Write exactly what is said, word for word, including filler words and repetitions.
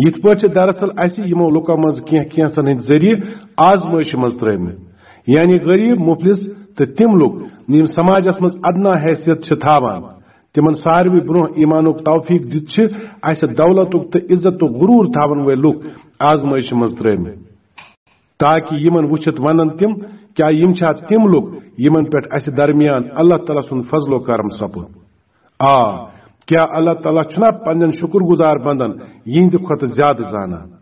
یِتھ پٲٹھۍ چھِ دراصل اسہِ یِمو لُکو منٛز کینٛہہ کینٛژن ہٕنٛدۍ ذٔریعہٕ آزمٲیشہِ منٛز ترٲومٕتۍ، یعنی غریب، مفلس تہٕ تِم لُکھ یِم سماجس منٛز ادنا حیثیت چھِ تھاوان۔ تِمن ساروی برونٛہہ ایمانُک توفیق دِتھ چھِ اسہِ دولتُک تہٕ عزتُک غرور تھاون وٲلۍ لُکھ آزمٲیشہِ منٛز ترٲومٕتۍ، تاکہ یِمن وٕچھِتھ ونن تِم، کیا یِم چھا تِم لُکھ یِمن پٮ۪ٹھ اسہِ درمیان اللہ تعالیٰ سُنٛد فضل و کرم سپُد؟ آ، کیا اللہ تعالیٰ چھُنا پننٮ۪ن شکر گزار بندن یِہنٛدِ کھۄتہٕ زیادٕ زانان؟